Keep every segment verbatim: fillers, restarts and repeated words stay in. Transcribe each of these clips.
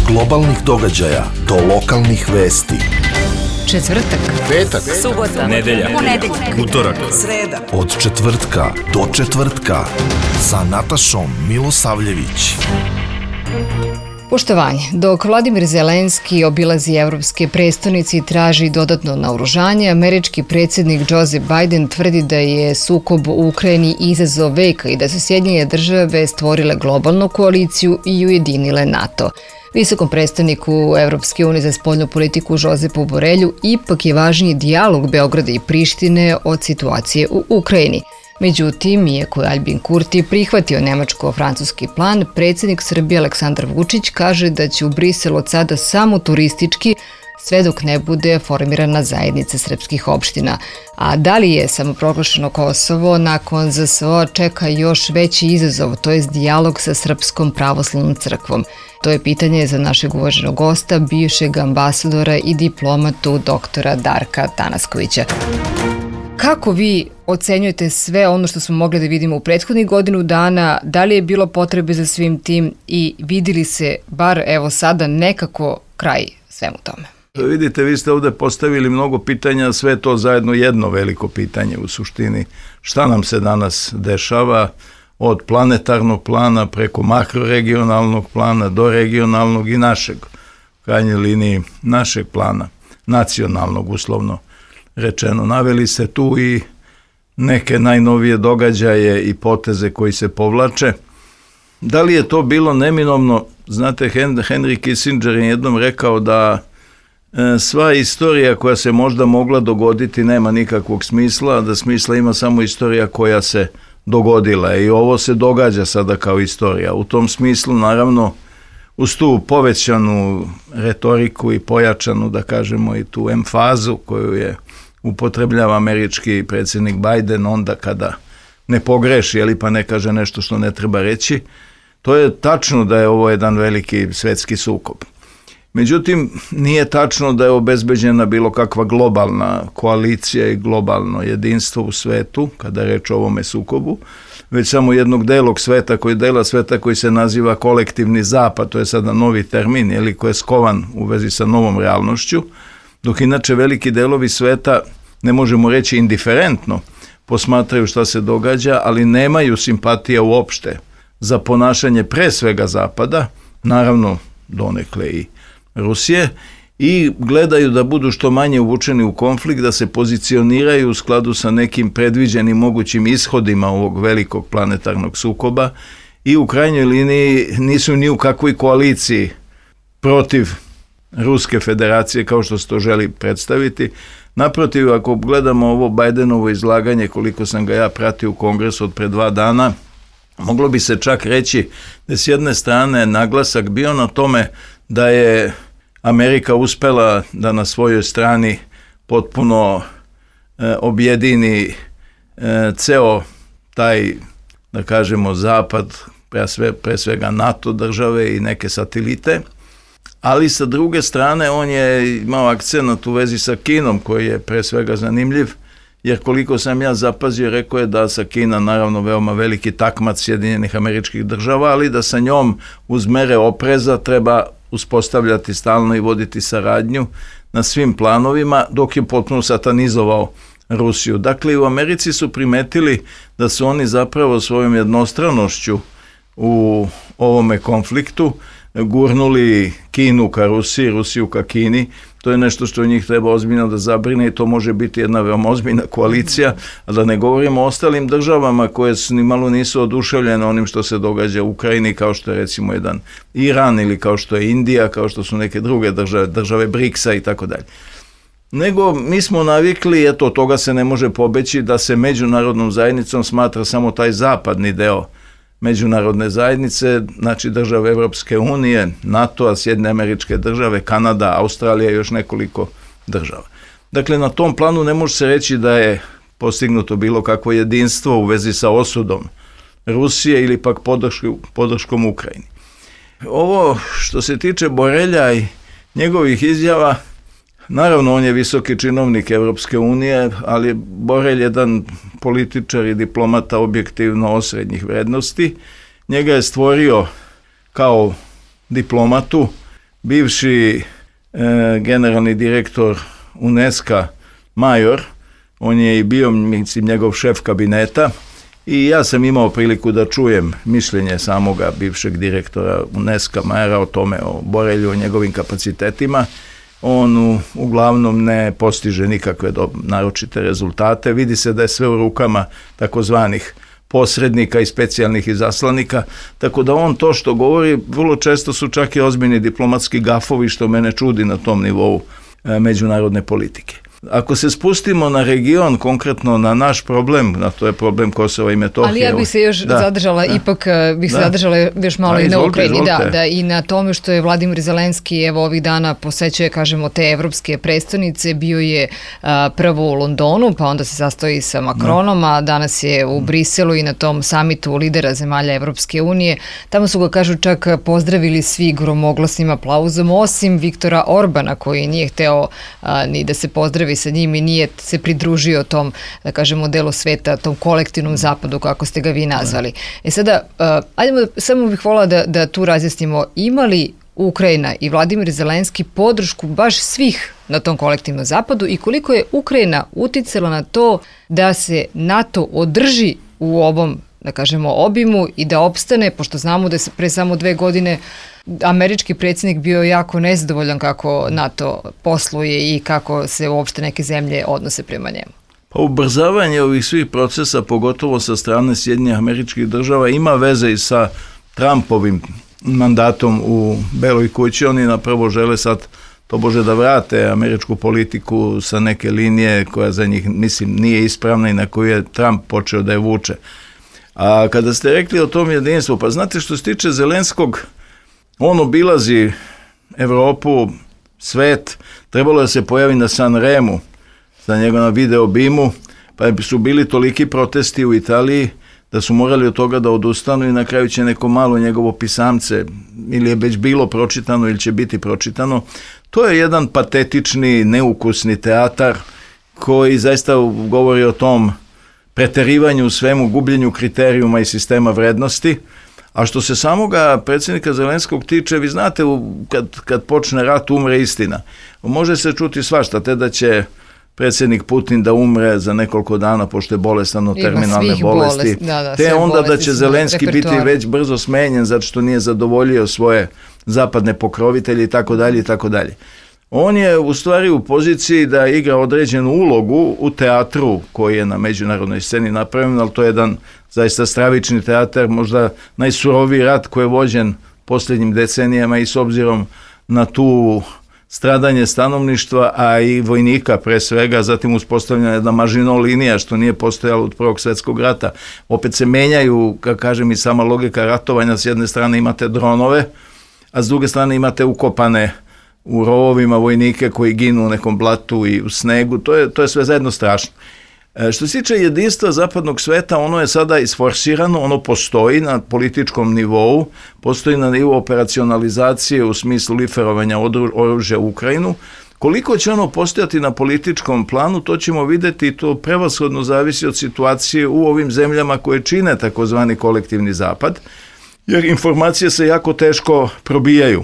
globalnih događaja do lokalnih vesti. Četvrtak, petak, subota, nedelja, ponedeljak, utorak, sreda. Od četvrtka do četvrtka sa Natašom Milosavljević. Poštovanje. Dok Vladimir Zelenski obilazi evropske prestonice i traži dodatno naoružanje, američki predsjednik Joseph Biden tvrdi da je sukob u Ukrajini izazov veka i da su Sjedinjene države stvorile globalnu koaliciju i ujedinile NATO. Visokom predstavniku Evropske unije za spoljnu politiku Josepu Borelju ipak je važniji dijalog Beograda i Prištine od situacije u Ukrajini. Međutim, iako je Aljbin Kurti prihvatio nemačko-francuski plan, predsjednik Srbije Aleksandar Vučić kaže da će u Briselu od sada samo turistički, sve dok ne bude formirana zajednica srpskih opština. A da li je samoproglašeno Kosovo nakon Z S O čeka još veći izazov, to je dijalog sa Srpskom pravoslavnom crkvom? To je pitanje za našeg uvaženog gosta, bivšeg ambasadora i diplomatu doktora Darka Tanaskovića. Kako vi ocenjujete sve ono što smo mogli da vidimo u prethodnih godinu dana? Da li je bilo potrebe za svim tim i vidili se bar evo sada nekako kraj svemu tome? Vidite, vi ste ovdje postavili mnogo pitanja, sve to zajedno jedno veliko pitanje u suštini. Šta nam se danas dešava od planetarnog plana preko makroregionalnog plana do regionalnog i našeg, u krajnjoj liniji našeg plana, nacionalnog uslovno rečeno. Naveli ste tu i neke najnovije događaje i poteze koji se povlače. Da li je to bilo neminovno? Znate, Henry Kissinger je jednom rekao da e, sva istorija koja se možda mogla dogoditi nema nikakvog smisla, da smisla ima samo istorija koja se dogodila i ovo se događa sada kao istorija. U tom smislu, naravno, uz tu povećanu retoriku i pojačanu, da kažemo, i tu emfazu koju je upotrebljava američki predsjednik Biden onda kada ne pogreši, ali pa ne kaže nešto što ne treba reći, to je tačno da je ovo jedan veliki svetski sukob. Međutim, nije tačno da je obezbeđena bilo kakva globalna koalicija i globalno jedinstvo u svetu, kada je reč o ovome sukobu, već samo jednog delog sveta, koji dela sveta koji se naziva kolektivni zapad, to je sada novi termin, ili koji je skovan u vezi sa novom realnošću, dok inače veliki delovi sveta, ne možemo reći indiferentno, posmatraju šta se događa, ali nemaju simpatija uopšte za ponašanje pre svega Zapada, naravno donekle i Rusije, i gledaju da budu što manje uvučeni u konflikt, da se pozicioniraju u skladu sa nekim predviđenim mogućim ishodima ovog velikog planetarnog sukoba i u krajnjoj liniji nisu ni u kakvoj koaliciji protiv Ruske federacije kao što se to želi predstaviti. Naprotiv, ako gledamo ovo Bidenovo izlaganje, koliko sam ga ja pratio u kongresu od pre dva dana, moglo bi se čak reći da s jedne strane naglasak bio na tome da je Amerika uspela da na svojoj strani potpuno e, objedini e, ceo taj, da kažemo, zapad, pre, sve, pre svega NATO države i neke satelite, ali sa druge strane on je imao akcenat u vezi sa Kinom koji je pre svega zanimljiv, jer koliko sam ja zapazio, rekao je da sa Kina naravno veoma veliki takmac Sjedinjenih Američkih Država, ali da sa njom uz mere opreza treba uspostavljati stalno i voditi saradnju na svim planovima, dok je potpuno satanizovao Rusiju. Dakle, i u Americi su primetili da su oni zapravo svojom jednostranošću u ovome konfliktu gurnuli Kinu ka Rusiji, Rusiju ka Kini. To je nešto što njih treba ozbiljno da zabrine i to može biti jedna veoma ozbiljna koalicija, a da ne govorimo o ostalim državama koje ni malo nisu oduševljene onim što se događa u Ukrajini, kao što je recimo jedan Iran ili kao što je Indija, kao što su neke druge države, države briksa i tako dalje. Nego mi smo navikli, eto, od toga se ne može pobeći, da se međunarodnom zajednicom smatra samo taj zapadni deo međunarodne zajednice, znači države Evropske unije, NATO-a, Sjedinjene Američke Države, Kanada, Australija i još nekoliko država. Dakle, na tom planu ne može se reći da je postignuto bilo kakvo jedinstvo u vezi sa osudom Rusije ili pak podršku, podrškom Ukrajini. Ovo što se tiče Borelja i njegovih izjava, naravno on je visoki činovnik Evropske unije, ali Borelj je jedan političar i diplomata objektivno osrednjih vrednosti. Njega je stvorio kao diplomatu bivši e, generalni direktor UNESCO Major, on je i bio, mislim, njegov šef kabineta i ja sam imao priliku da čujem mišljenje samoga bivšeg direktora UNESCO Majora o tome, o Borelju, o njegovim kapacitetima. On u, uglavnom ne postiže nikakve do, naročite rezultate. Vidi se da je sve u rukama takozvanih posrednika i specijalnih izaslanika, tako da on to što govori vrlo često su čak i ozbiljni diplomatski gafovi, što mene čudi na tom nivou e, međunarodne politike. Ako se spustimo na region, konkretno na naš problem, na to je problem Kosova i Metohije. Ali ja bih se još da, zadržala, da, ipak bih se da. zadržala još malo da, i na Ukrajini, da, da, i na tome što je Vladimir Zelenski evo ovih dana posećuje, kažemo, te evropske prestonice, bio je a, prvo u Londonu, pa onda se sastoji sa Macronom, da. a danas je u Briselu i na tom samitu lidera zemalja Evropske unije. Tamo su ga, kažu, čak pozdravili svi gromoglasnim aplauzom, osim Viktora Orbana, koji nije hteo a, ni da se pozdravi sa njim i nije se pridružio tom, da kažemo, delu sveta, tom kolektivnom zapadu, kako ste ga vi nazvali. E sada, uh, ajdemo, samo bih volila da, da tu razjasnimo, ima li Ukrajina i Vladimir Zelenski podršku baš svih na tom kolektivnom zapadu i koliko je Ukrajina uticala na to da se NATO održi u ovom, da kažemo, obimu i da opstane, pošto znamo da je pre samo dve godine američki predsjednik bio jako nezadovoljan kako NATO posluje i kako se uopšte neke zemlje odnose prema njemu. Pa ubrzavanje ovih svih procesa, pogotovo sa strane Sjedinjenih Američkih Država, ima veze i sa Trumpovim mandatom u Beloj kući. Oni napravo žele sad tobože da vrate američku politiku sa neke linije koja za njih, mislim, nije ispravna i na koju je Trump počeo da je vuče. A kada ste rekli o tom jedinstvu, pa znate, što se tiče Zelenskog, on obilazi Evropu, svet, trebalo je da se pojavi na Sanremu, za njega na video bimu, pa su bili toliki protesti u Italiji da su morali od toga da odustanu i na kraju će neko malo njegovo pisamce, ili je već bilo pročitano ili će biti pročitano. To je jedan patetični, neukusni teatar koji zaista govori o tom preterivanju u svemu, gubljenju kriterijuma i sistema vrednosti. A što se samoga predsjednika Zelenskog tiče, vi znate, kad, kad počne rat, umre istina. Može se čuti svašta, te da će predsjednik Putin da umre za nekoliko dana pošto je bolestan od terminalne bolesti, bolest, da, da, te onda da će Zelenski biti već brzo smenjen zato što nije zadovoljio svoje zapadne pokrovitelje i tako dalje i tako dalje. On je u stvari u poziciji da igra određenu ulogu u teatru koji je na međunarodnoj sceni napravljen, ali to je jedan zaista stravični teatar, možda najsuroviji rat koji je vođen posljednjim decenijama i s obzirom na tu stradanje stanovništva, a i vojnika pre svega, zatim uspostavljena jedna Maginot linija što nije postojalo od Prvog svjetskog rata. Opet se menjaju, kako kažem, i sama logika ratovanja, s jedne strane imate dronove, a s druge strane imate ukopane u rovovima vojnike koji ginu u nekom blatu i u snegu, to je, to je sve zajedno strašno. E, što se tiče jedinstva zapadnog sveta, ono je sada isforsirano, ono postoji na političkom nivou, postoji na nivou operacionalizacije u smislu liferovanja oružja u Ukrajinu. Koliko će ono postojati na političkom planu, to ćemo vidjeti i to prevashodno zavisi od situacije u ovim zemljama koje čine takozvani kolektivni zapad, jer informacije se jako teško probijaju.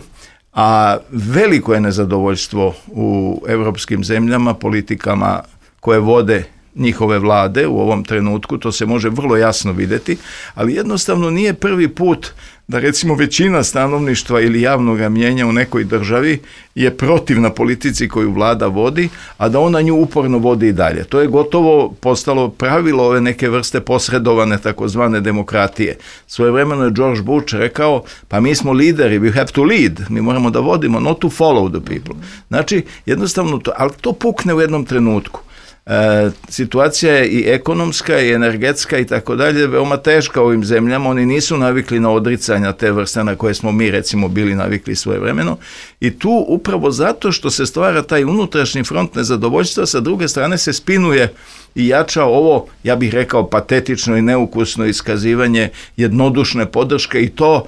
A veliko je nezadovoljstvo u evropskim zemljama, politikama koje vode njihove vlade u ovom trenutku, to se može vrlo jasno vidjeti, ali jednostavno nije prvi put da recimo većina stanovništva ili javnog mnijenja u nekoj državi je protivna politici koju vlada vodi, a da ona nju uporno vodi i dalje. To je gotovo postalo pravilo ove neke vrste posredovane takozvane demokratije. Svojevremeno je George Bush rekao, pa mi smo lideri, we have to lead, mi moramo da vodimo, not to follow the people. Znači, jednostavno, to, ali to pukne u jednom trenutku. E, situacija je i ekonomska i energetska i tako dalje veoma teška u ovim zemljama, oni nisu navikli na odricanja te vrste na koje smo mi recimo bili navikli svojevremeno i tu upravo zato što se stvara taj unutrašnji front nezadovoljstva, sa druge strane se spinuje i jača ovo, ja bih rekao, patetično i neukusno iskazivanje jednodušne podrške i to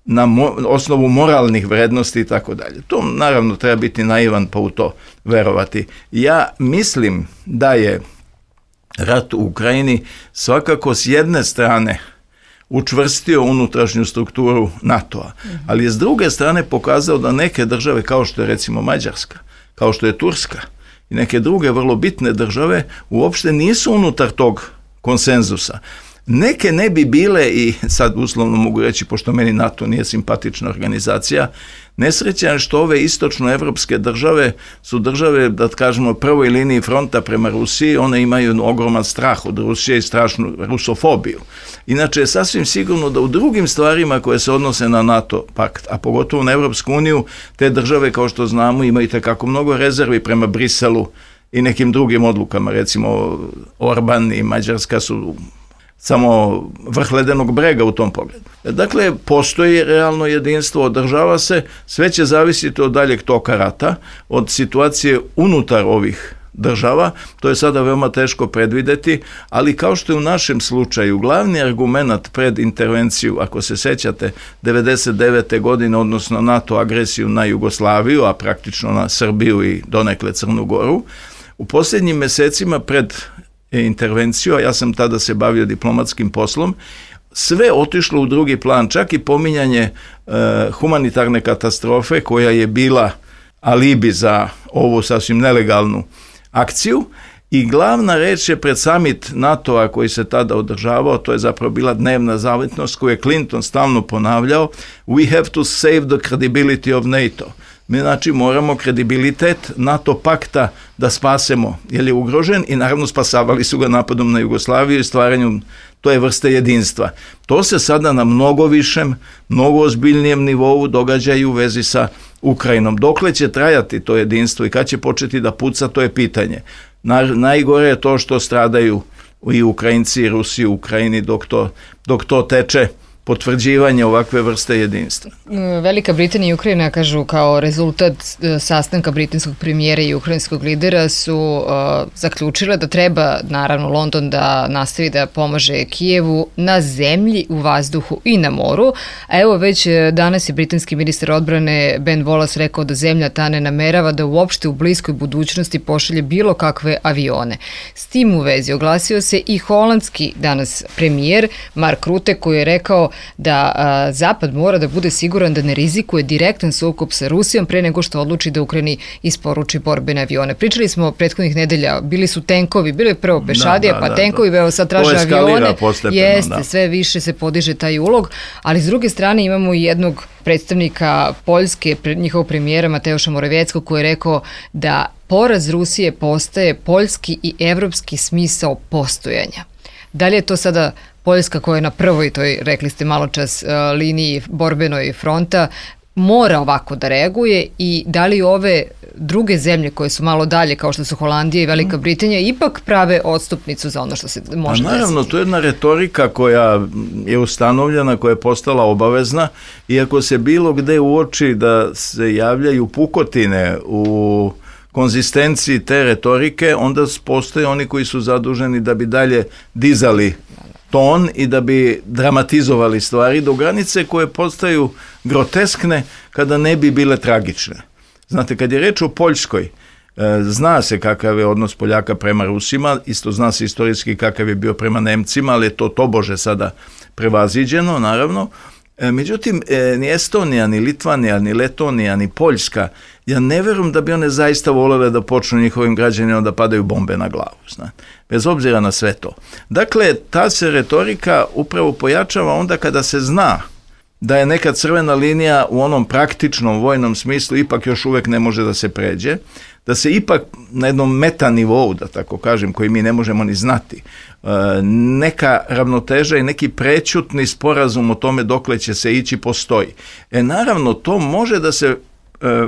na mo- osnovu moralnih vrednosti i tako dalje. To naravno treba biti naivan pa u to verovati. Ja mislim da je rat u Ukrajini svakako s jedne strane učvrstio unutrašnju strukturu NATO-a. Ali je s druge strane pokazao da neke države, kao što je recimo Mađarska, kao što je Turska i neke druge vrlo bitne države, uopšte nisu unutar tog konsenzusa. Neke ne bi bile, i sad uslovno mogu reći, pošto meni NATO nije simpatična organizacija, nesrećan je što ove istočnoevropske države su države, da kažemo, prvoj liniji fronta prema Rusiji, one imaju ogroman strah od Rusije i strašnu rusofobiju. Inače je sasvim sigurno da u drugim stvarima koje se odnose na NATO pakt, a pogotovo na Evropsku uniju, te države, kao što znamo, imaju tekako mnogo rezervi prema Briselu i nekim drugim odlukama. Recimo, Orban i Mađarska su samo vrh ledenog brega u tom pogledu. Dakle, postoji realno jedinstvo, održava se, sve će zavisiti od daljeg toka rata, od situacije unutar ovih država, to je sada veoma teško predvideti, ali kao što je u našem slučaju glavni argument pred intervenciju, ako se sećate, devedeset devete godine, odnosno NATO agresiju na Jugoslaviju, a praktično na Srbiju i donekle Crnu Goru, u posljednjim mesecima pred intervenciju, a ja sam tada se bavio diplomatskim poslom, sve otišlo u drugi plan, čak i pominjanje e, humanitarne katastrofe koja je bila alibi za ovu sasvim nelegalnu akciju, i glavna reč je pred summit NATO-a koji se tada održavao, to je zapravo bila dnevna zavetnost koju je Clinton stalno ponavljao: we have to save the credibility of NATO. Mi znači moramo kredibilitet NATO pakta da spasemo, jer je ugrožen, i naravno spasavali su ga napadom na Jugoslaviju i stvaranjem toje vrste jedinstva. To se sada na mnogo višem, mnogo ozbiljnijem nivou događa i u vezi sa Ukrajinom. Dokle će trajati to jedinstvo i kad će početi da puca, to je pitanje. Na, najgore je to što stradaju i Ukrajinci i Rusi u Ukrajini dok to, dok to teče, potvrđivanje ovakve vrste jedinstva. Velika Britanija i Ukrajina, kažu, kao rezultat sastanka britanskog premijera i ukrajinskog lidera su uh, zaključile da treba, naravno, London da nastavi da pomaže Kijevu na zemlji, u vazduhu i na moru. A evo, već danas je britanski ministar odbrane Ben Wallace rekao da zemlja ta ne namerava da uopšte u bliskoj budućnosti pošalje bilo kakve avione. S tim u vezi oglasio se i holandski danas premijer Mark Rutte, koji je rekao da a, Zapad mora da bude siguran da ne rizikuje direktan sukob sa Rusijom pre nego što odluči da Ukrajini isporuči borbene avione. Pričali smo prethodnih nedelja, bili su tenkovi, bili je prvo pešadija, da, da, pa da, tenkovi, da. Evo sad traže avione. Jeste, da. Sve više se podiže taj ulog, ali s druge strane imamo i jednog predstavnika Poljske, njihovog premijera Mateusza Morawieckog, koji je rekao da poraz Rusije postaje poljski i evropski smisao postojanja. Da li je to sada Poljska, koja je na prvoj toj, rekli ste malo čas, liniji borbenoj fronta, mora ovako da reaguje, i da li ove druge zemlje koje su malo dalje, kao što su Holandija i Velika Britanija, ipak prave odstupnicu za ono što se može desiti? Naravno, to je jedna retorika koja je ustanovljena, koja je postala obavezna, iako se bilo gde uoči da se javljaju pukotine u konzistenciji te retorike, onda postoje oni koji su zaduženi da bi dalje dizali ton i da bi dramatizovali stvari do granice koje postaju groteskne kada ne bi bile tragične. Znate, kad je reč o Poljskoj, zna se kakav je odnos Poljaka prema Rusima, isto zna se istorijski kakav je bio prema Nemcima, ali je to tobože sada prevaziđeno, naravno. Međutim, ni Estonija, ni Litvanija, ni Letonija, ni Poljska, ja ne verujem da bi one zaista volele da počnu njihovim građanima da padaju bombe na glavu, znate, bez obzira na sve to. Dakle, ta se retorika upravo pojačava onda kada se zna da je neka crvena linija u onom praktičnom vojnom smislu ipak još uvek ne može da se pređe, da se ipak na jednom metanivou, da tako kažem, koji mi ne možemo ni znati, neka ravnoteža i neki prećutni sporazum o tome dokle će se ići postoji. E naravno, to može da se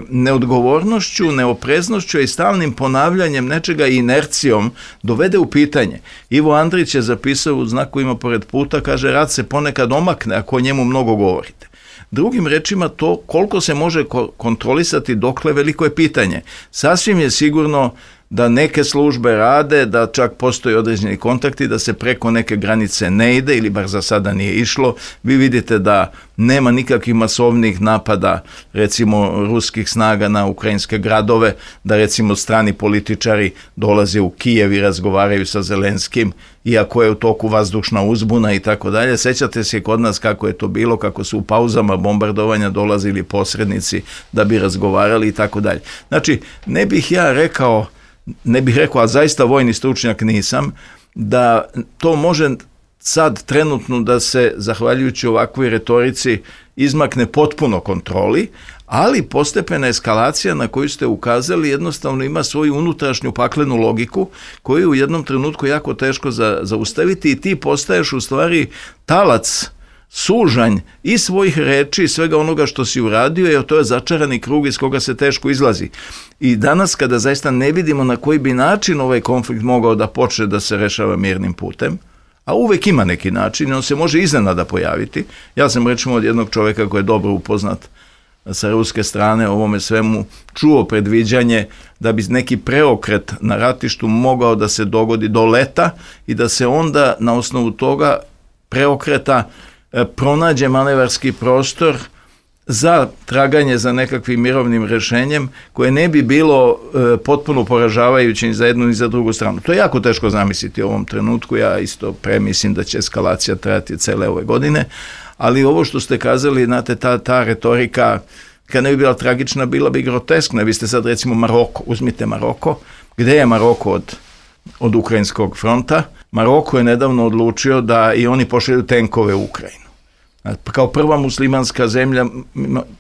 neodgovornošću, neopreznošću i stalnim ponavljanjem nečega i inercijom dovede u pitanje. Ivo Andrić je zapisao u Znakovima pored puta, kaže, rat se ponekad omakne ako o njemu mnogo govorite. Drugim rečima, to koliko se može kontrolisati dokle, veliko je pitanje. Sasvim je sigurno da neke službe rade, da čak postoji određeni kontakti, da se preko neke granice ne ide, ili bar za sada nije išlo. Vi vidite da nema nikakvih masovnih napada, recimo, ruskih snaga na ukrajinske gradove, da recimo strani političari dolaze u Kijev i razgovaraju sa Zelenskim, iako je u toku vazdušna uzbuna i tako dalje. Sećate se kod nas kako je to bilo, kako su u pauzama bombardovanja dolazili posrednici da bi razgovarali i tako dalje. Znači, ne bih ja rekao, ne bih rekao, a zaista vojni stručnjak nisam, da to može sad trenutno da se, zahvaljujući ovakvoj retorici, izmakne potpuno kontroli, ali postepena eskalacija na koju ste ukazali jednostavno ima svoju unutrašnju paklenu logiku koju je u jednom trenutku jako teško za, zaustaviti i ti postaješ u stvari talac, sužanj i svojih reči i svega onoga što si uradio, jer to je začarani krug iz koga se teško izlazi. I danas kada zaista ne vidimo na koji bi način ovaj konflikt mogao da počne da se rešava mirnim putem, a uvek ima neki način, on se može iznenada pojaviti. Ja sam recimo od jednog čovjeka koji je dobro upoznat sa ruske strane ovome svemu čuo predviđanje da bi neki preokret na ratištu mogao da se dogodi do leta i da se onda na osnovu toga preokreta pronađe manevarski prostor za traganje za nekakvim mirovnim rešenjem koje ne bi bilo e, potpuno poražavajuće ni za jednu ni za drugu stranu. To je jako teško zamisliti u ovom trenutku, ja isto premislim da će eskalacija trajati cele ove godine, ali ovo što ste kazali, znate, ta, ta retorika, kad ne bi bila tragična, bila bi groteskna. Vi ste sad recimo Maroko, uzmite Maroko, gde je Maroko od, od ukrajinskog fronta? Maroko je nedavno odlučio da i oni pošalju tenkove u Ukrajinu. Kao prva muslimanska zemlja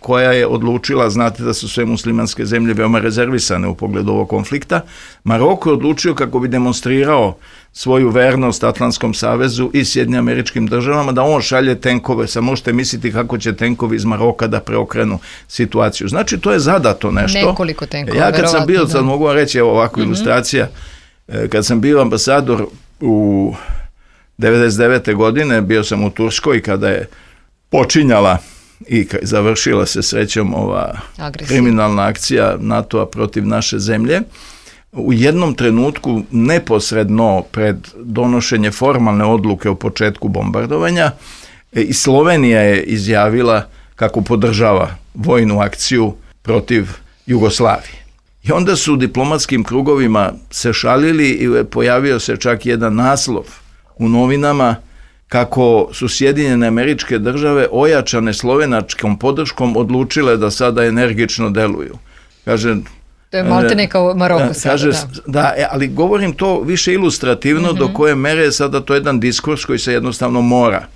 koja je odlučila, znate da su sve muslimanske zemlje veoma rezervisane u pogledu ovog konflikta, Maroko je odlučio kako bi demonstrirao svoju vernost Atlantskom savezu i Sjedinjenim Američkim Državama da on šalje tenkove. Sad možete misliti kako će tenkovi iz Maroka da preokrenu situaciju. Znači to je zadato nešto. Nekoliko tenkova. Ja kad sam bio, sad mogu vam reći, evo ovakva mm-hmm. ilustracija, kad sam bio ambasador u devedeset devete godine, bio sam u Turskoj kada je počinjala i završila se srećom ova Agresija. kriminalna akcija NATO-a protiv naše zemlje. U jednom trenutku, neposredno pred donošenje formalne odluke o početku bombardovanja, i Slovenija je izjavila kako podržava vojnu akciju protiv Jugoslavije. I onda su u diplomatskim krugovima se šalili i pojavio se čak jedan naslov u novinama kako su Sjedinjene Američke Države ojačane slovenačkom podrškom odlučile da sada energično deluju. Kaže, to je maltene kao Maroko sada. Kaže, da, da ali govorim to više ilustrativno, mm-hmm. do koje mere je sada to jedan diskurs koji se jednostavno mora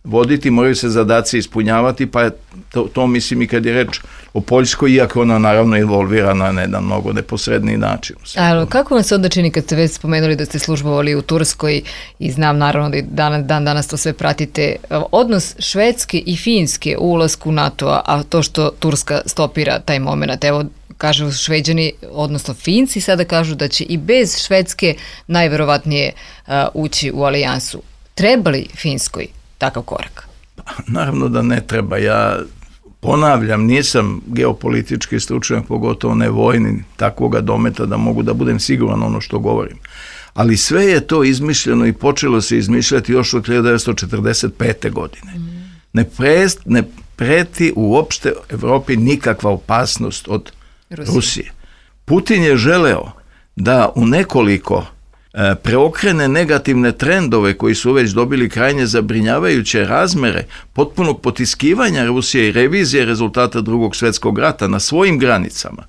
voditi, moraju se zadaci ispunjavati, pa je to, to mislim i kad je reč o Poljskoj, iako ona naravno involvirana na jedan mnogo neposredniji način. Ali kako vam se onda čini kad ste već spomenuli da ste službovali u Turskoj i znam naravno da dan, dan danas to sve pratite, odnos Švedske i Finske u ulasku NATO-a, a to što Turska stopira taj moment, evo kažu Šveđani, odnosno Finci sada kažu da će i bez Švedske najverovatnije uh, ući u alijansu. Treba li Finskoj takav korak? Naravno da ne treba. Ja ponavljam, nisam geopolitički stručnjak, pogotovo ne vojni, takvoga dometa da mogu da budem siguran ono što govorim. Ali sve je to izmišljeno i počelo se izmišljati još od hiljadu devetsto četrdeset pete. godine. Mm. Ne, prest, ne preti uopšte Evropi nikakva opasnost od Rusije. Rusije. Putin je želeo da u nekoliko preokrene negativne trendove koji su već dobili krajnje zabrinjavajuće razmere potpunog potiskivanja Rusije i revizije rezultata drugog svjetskog rata na svojim granicama.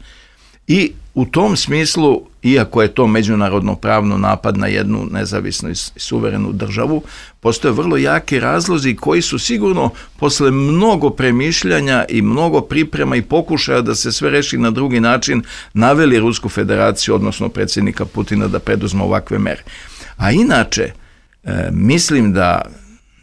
I u tom smislu, iako je to međunarodno pravno napad na jednu nezavisnu i suverenu državu, postoje vrlo jaki razlozi koji su sigurno posle mnogo premišljanja i mnogo priprema i pokušaja da se sve reši na drugi način naveli Rusku federaciju, odnosno predsjednika Putina, da preduzme ovakve mere. A inače, e, mislim da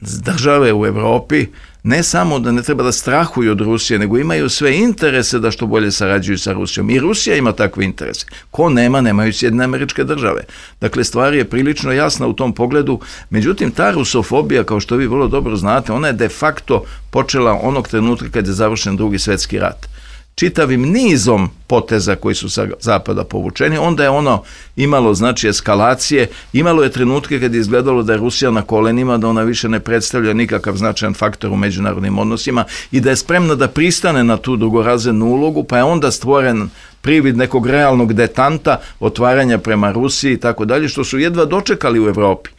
države u Evropi ne samo da ne treba da strahuju od Rusije, nego imaju sve interese da što bolje sarađuju sa Rusijom. I Rusija ima takve interese. Ko nema, nemaju Sjedinjene Američke Države. Dakle, stvar je prilično jasna u tom pogledu. Međutim, ta rusofobija, kao što vi vrlo dobro znate, ona je de facto počela onog trenutka kad je završen drugi svjetski rat. Čitavim nizom poteza koji su sa zapada povučeni, onda je ono imalo znači eskalacije, imalo je trenutke kad je izgledalo da je Rusija na kolenima, da ona više ne predstavlja nikakav značajan faktor u međunarodnim odnosima i da je spremna da pristane na tu drugorazrednu ulogu, pa je onda stvoren privid nekog realnog detanta, otvaranja prema Rusiji i tako dalje, što su jedva dočekali u Evropi.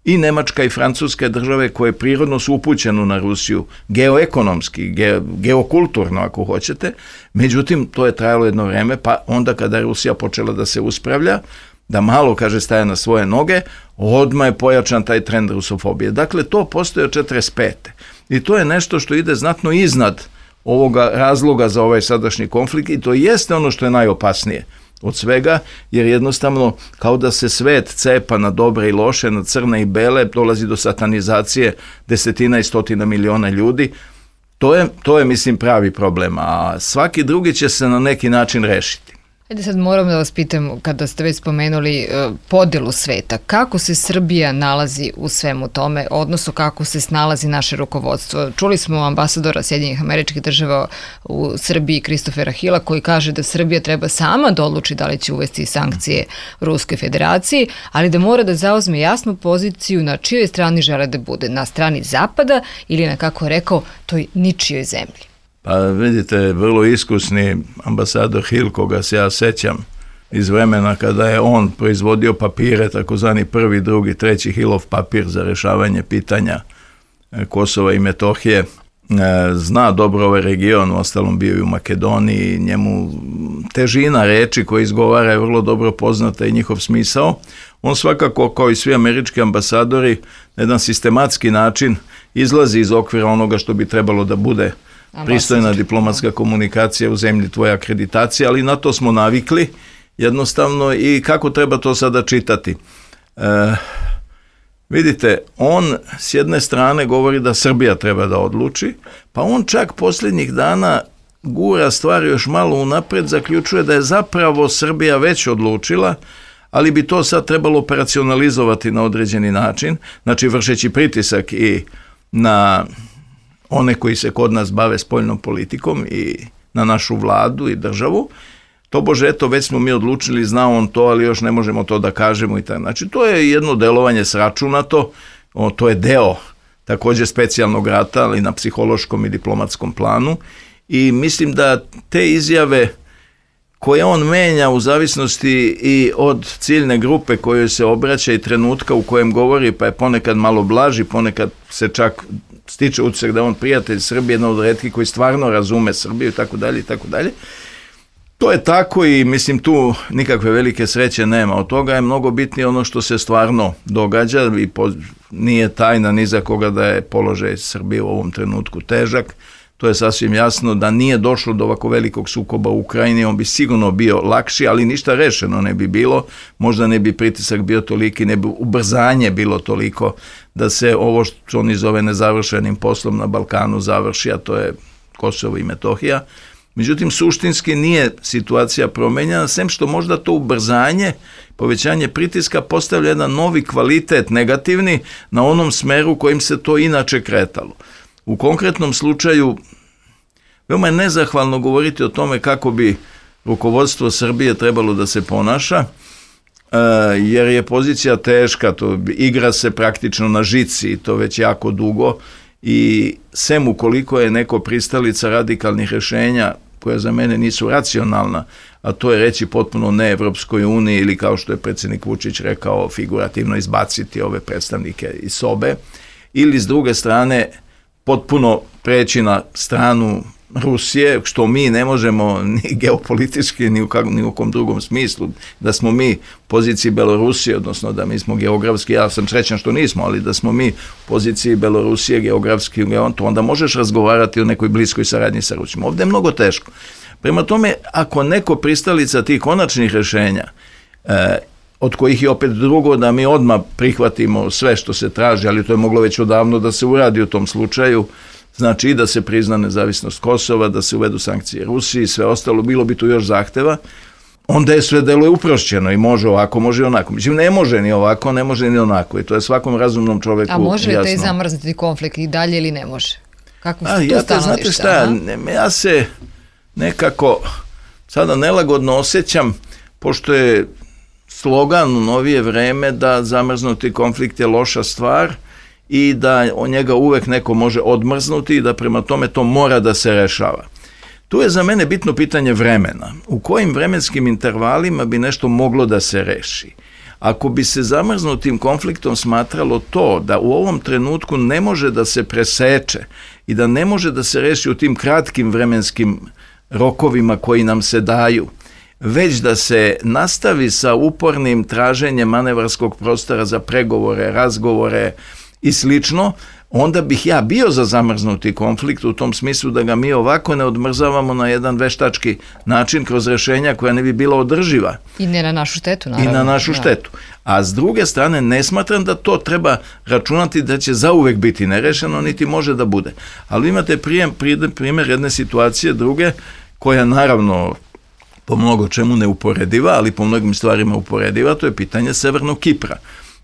i Nemačka i Francuska države koje prirodno su upućene na Rusiju, geoekonomski, ge, geokulturno ako hoćete, međutim to je trajalo jedno vreme, pa onda kada je Rusija počela da se uspravlja, da malo, kaže, staje na svoje noge, odmah je pojačan taj trend rusofobije. Dakle, to postoje od četrdeset pete. I to je nešto što ide znatno iznad ovoga razloga za ovaj sadašnji konflikt i to jeste ono što je najopasnije od svega, jer jednostavno kao da se svet cepa na dobre i loše, na crne i bele, dolazi do satanizacije desetina i stotina miliona ljudi. To je, to je, mislim, pravi problem, a svaki drugi će se na neki način rešiti. Ajde sad moram da vas pitam, kada ste već spomenuli podelu sveta, kako se Srbija nalazi u svemu tome, odnosno kako se snalazi naše rukovodstvo? Čuli smo ambasadora Sjedinjenih Američkih Država u Srbiji, Kristofera Hila, koji kaže da Srbija treba sama da odluči da li će uvesti sankcije Ruskoj federaciji, ali da mora da zauzme jasnu poziciju na čijoj strani žele da bude, na strani Zapada ili na, kako je rekao, toj ničijoj zemlji. Pa vidite, vrlo iskusni ambasador Hill, koga se ja sećam iz vremena kada je on proizvodio papire, takozvani prvi, drugi, treći Hillov papir za rešavanje pitanja Kosova i Metohije, zna dobro ovaj region, u ostalom bio i u Makedoniji, njemu težina reči koje izgovara je vrlo dobro poznata i njihov smisao. On svakako, kao i svi američki ambasadori, na jedan sistematski način izlazi iz okvira onoga što bi trebalo da bude pristojna diplomatska komunikacija u zemlji, tvoja akreditacija, ali na to smo navikli jednostavno i kako treba to sada čitati. E, vidite, on s jedne strane govori da Srbija treba da odluči, pa on čak posljednjih dana gura stvari još malo unapred, zaključuje da je zapravo Srbija već odlučila, ali bi to sad trebalo operacionalizovati na određeni način, znači vršeći pritisak i na one koji se kod nas bave spoljnom politikom i na našu vladu i državu, to bože, eto, već smo mi odlučili, zna on to, ali još ne možemo to da kažemo i tako. Znači, to je jedno delovanje sračunato, o, to je deo također specijalnog rata, ali na psihološkom i diplomatskom planu i mislim da te izjave koje on menja u zavisnosti i od ciljne grupe kojoj se obraća i trenutka u kojem govori, pa je ponekad malo blaži, ponekad se čak stiče utisak da on prijatelj Srbije, jedan od retkih koji stvarno razume Srbiju i tako dalje i tako dalje. To je tako i mislim tu nikakve velike sreće nema. Od toga je mnogo bitnije ono što se stvarno događa i po, nije tajna ni za koga da je položaj Srbije u ovom trenutku težak. To je sasvim jasno da nije došlo do ovako velikog sukoba u Ukrajini, on bi sigurno bio lakši, ali ništa rešeno ne bi bilo, možda ne bi pritisak bio toliki, ne bi ubrzanje bilo toliko da se ovo što oni zove nezavršenim poslom na Balkanu završi, a to je Kosovo i Metohija. Međutim, suštinski nije situacija promenjena, sem što možda to ubrzanje, povećanje pritiska postavlja jedan novi kvalitet negativni na onom smeru kojim se to inače kretalo. U konkretnom slučaju, veoma je nezahvalno govoriti o tome kako bi rukovodstvo Srbije trebalo da se ponaša, jer je pozicija teška, to igra se praktično na žici i to već jako dugo i sem ukoliko je neko pristalica radikalnih rešenja koja za mene nisu racionalna, a to je reći potpuno ne Evropskoj uniji ili kao što je predsjednik Vučić rekao figurativno izbaciti ove predstavnike iz sobe, ili s druge strane potpuno preći na stranu Rusije, što mi ne možemo ni geopolitički, ni u, kak, ni u kom drugom smislu, da smo mi u poziciji Belorusije, odnosno da mi smo geografski, ja sam srećan što nismo, ali da smo mi u poziciji Belorusije geografski, to onda možeš razgovarati o nekoj bliskoj saradnji sa Rusijom. Ovdje je mnogo teško. Prema tome, ako neko pristalica tih konačnih rešenja, eh, od kojih je opet drugo da mi odmah prihvatimo sve što se traži, ali to je moglo već odavno da se uradi u tom slučaju, znači i da se prizna nezavisnost Kosova, da se uvedu sankcije Rusiji i sve ostalo, bilo bi tu još zahteva, onda je sve delo je uprošćeno i može ovako, može i onako. Mislim, ne može ni ovako, ne može ni onako i to je svakom razumnom čoveku jasno. A može li te zamrzniti konflikt i dalje ili ne može? Kako ste A, tu ja stanovišta? Znate šta, ne, ja se nekako sada nelagodno osjećam, pošto je slogan u novije vreme da zamrznuti konflikt je loša stvar i da od njega uvek neko može odmrznuti i da prema tome to mora da se rešava. Tu je za mene bitno pitanje vremena. U kojim vremenskim intervalima bi nešto moglo da se reši? Ako bi se zamrznutim konfliktom smatralo to da u ovom trenutku ne može da se preseče i da ne može da se reši u tim kratkim vremenskim rokovima koji nam se daju, već da se nastavi sa upornim traženjem manevarskog prostora za pregovore, razgovore i slično, onda bih ja bio za zamrznuti konflikt u tom smislu da ga mi ovako ne odmrzavamo na jedan veštački način kroz rešenja koja ne bi bila održiva. I ne na našu štetu, naravno. I na našu da. štetu. A s druge strane, ne smatram da to treba računati da će zauvek biti nerešeno, niti može da bude. Ali imate prijem, primjer jedne situacije druge, koja naravno po mnogo čemu neuporediva, ali po mnogim stvarima uporediva, to je pitanje Severnog Kipra.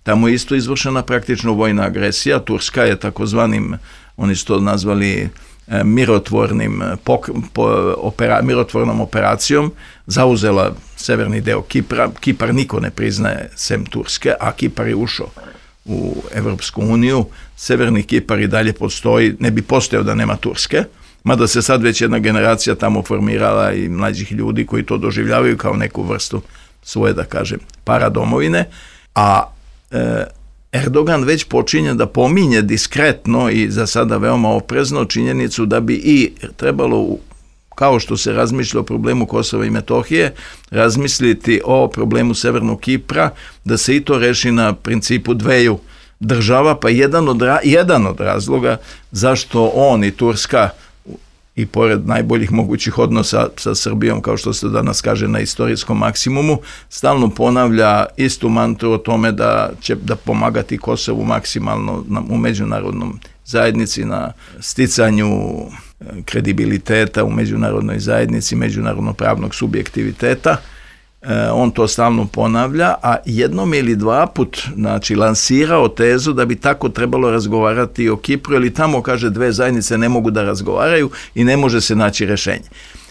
Tamo je isto izvršena praktično vojna agresija. Turska je takozvanim, oni su to nazvali e, mirotvornim, pok, po, opera, mirotvornom operacijom, zauzela severni deo Kipra. Kipar niko ne priznaje sem Turske, a Kipar je ušao u Evropsku uniju. Severni Kipar i dalje postoji, ne bi postojao da nema Turske, mada se sad već jedna generacija tamo formirala i mlađih ljudi koji to doživljavaju kao neku vrstu svoje, da kažem, paradomovine, a Erdogan već počinje da pominje diskretno i za sada veoma oprezno činjenicu da bi i trebalo, kao što se razmišlja o problemu Kosova i Metohije, razmisliti o problemu Severnog Kipra, da se i to reši na principu dveju država, pa jedan od, jedan od razloga zašto on i Turska i pored najboljih mogućih odnosa sa Srbijom, kao što se danas kaže na istorijskom maksimumu, stalno ponavlja istu mantru o tome da će da pomagati Kosovu maksimalno na, u međunarodnom zajednici, na sticanju kredibiliteta u međunarodnoj zajednici, međunarodno pravnog subjektiviteta. E, on to stalno ponavlja, a jednom ili dva put, znači, lansirao tezu da bi tako trebalo razgovarati o Kipru, ili tamo, kaže, dve zajednice ne mogu da razgovaraju i ne može se naći rešenje.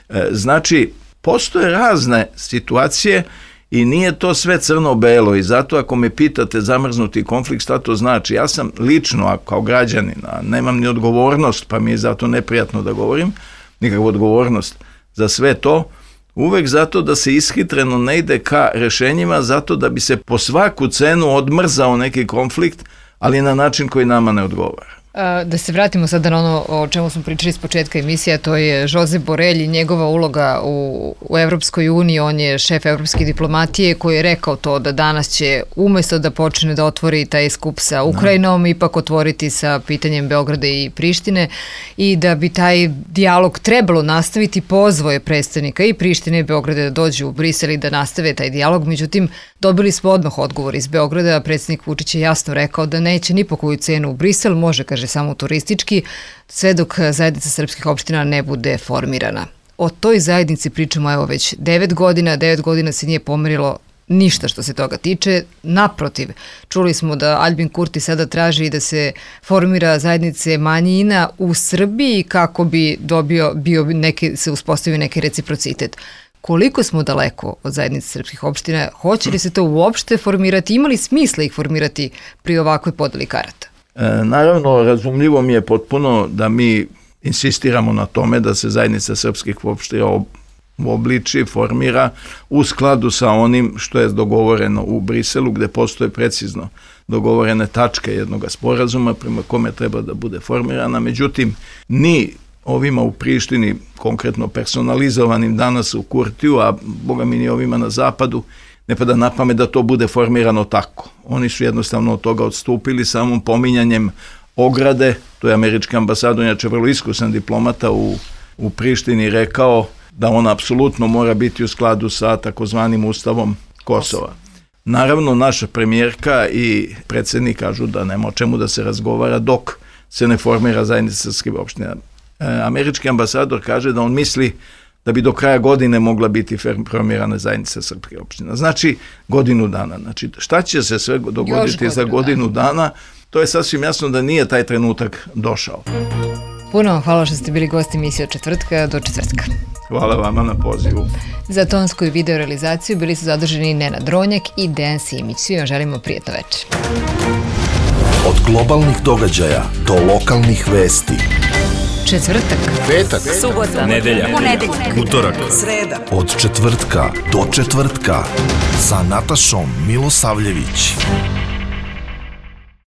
E, znači, postoje razne situacije i nije to sve crno-belo, i zato ako me pitate zamrznuti konflikt, šta to znači? Ja sam lično, a kao građanin, a nemam ni odgovornost, pa mi je zato neprijatno da govorim, nikakvu odgovornost za sve to, uvek zato da se ishitreno ne ide ka rešenjima, zato da bi se po svaku cenu odmrzao neki konflikt, ali na način koji nama ne odgovara. Da se vratimo sada na ono o čemu smo pričali s početka emisija, to je Josep Borrell i njegova uloga u, u Evropskoj uniji. On je šef evropske diplomatije koji je rekao to da danas će umesto da počne da otvori taj skup sa Ukrajinom, ipak otvoriti sa pitanjem Beograda i Prištine, i da bi taj dijalog trebalo nastaviti. Pozvao je predstavnika i Prištine i Beograda da dođu u Brisel i da nastave taj dijalog. Međutim, dobili smo odmah odgovor iz Beograda. Predsednik Vučić je jasno rekao da neće ni po koju cenu u Brisel, može, kaže, samo turistički, sve dok zajednica srpskih opština ne bude formirana. O toj zajednici pričamo evo već devet godina, devet godina se nije pomerilo ništa što se toga tiče. Naprotiv, čuli smo da Aljbin Kurti sada traži da se formira zajednice manjina u Srbiji kako bi dobio, bio neki, se uspostavio neki reciprocitet. Koliko smo daleko od zajednice srpskih opština? Hoće li se to uopšte formirati? Ima li smisla ih formirati pri ovakvoj podeli karata? E, naravno, razumljivo mi je potpuno da mi insistiramo na tome da se zajednica srpskih opština obliči, formira u skladu sa onim što je dogovoreno u Briselu, gde postoje precizno dogovorene tačke jednog sporazuma prema kome treba da bude formirana. Međutim, ni ovima u Prištini, konkretno personalizovanim danas u Kurtiju, a boga mi ni ovima na zapadu, ne pada na pamet da to bude formirano tako. Oni su jednostavno od toga odstupili samom pominjanjem ograde. To je američki ambasador, inače vrlo iskusan diplomata u, u Prištini, rekao da on apsolutno mora biti u skladu sa takozvanim ustavom Kosova. Naravno, naša premijerka i predsjednik kažu da nema o čemu da se razgovara dok se ne formira zajednica srpskih opština. E, američki ambasador kaže da on misli da bi do kraja godine mogla biti formirana zajednica srpskih opština. Znači, godinu dana. Znači, šta će se sve dogoditi za godinu dana, to je sasvim jasno da nije taj trenutak došao. Puno vam hvala što ste bili gosti emisije od četvrtka do četvrtka. Hvala vama na pozivu. Za tonsku i video realizaciju bili su zadržani Nenad Dronjak i Dejan Simić. Svi vam želimo prijatno večer. Od globalnih događaja do lokalnih vesti. četvrtak, petak, subota, nedelja, ponedeljak, utorak, sreda. od četvrtka do četvrtka sa Natašom Milosavljević.